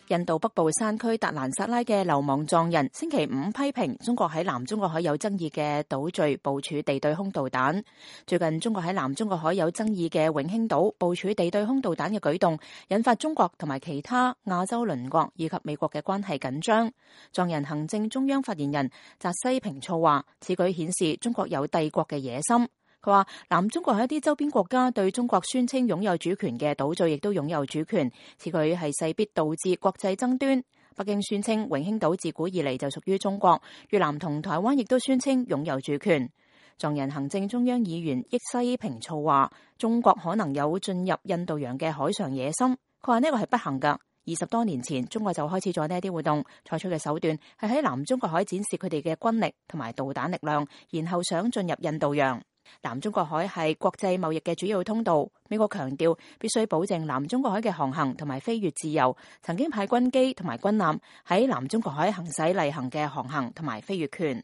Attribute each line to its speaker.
Speaker 1: 印度北部山區達蘭薩拉嘅流亡藏人星期五批評中國喺南中國海有爭議嘅島嶼部署地對空導彈。最近中國喺南中國海有爭議嘅永興島部署地對空導彈嘅舉動，引發中國同埋其他亞洲鄰國以及美國嘅關係緊張。藏人行政中央發言人扎西平措話，此舉顯示中國有帝國嘅野心。佢話南中國喺一啲周邊國家對中國宣稱擁有主權嘅島嶼亦都擁有主權，此舉係勢必導致國際爭端。北京宣稱永興島自古以嚟就屬於中國，越南同台灣亦都宣稱擁有主權。藏人行政中央議員益西平措話，中國可能有進入印度洋嘅海上野心。佢話呢個係不幸㗎。20多年前，中國就開始咗呢一啲活動，採取嘅手段係喺南中國海展示佢哋嘅軍力同埋導彈力量，然後想進入印度洋。南中國海係國際貿易嘅主要通道，美國強調必須保證南中國海嘅航行同埋飛越自由，曾經派軍機同埋軍艦喺南中國海行使例行嘅航行同埋飛越權。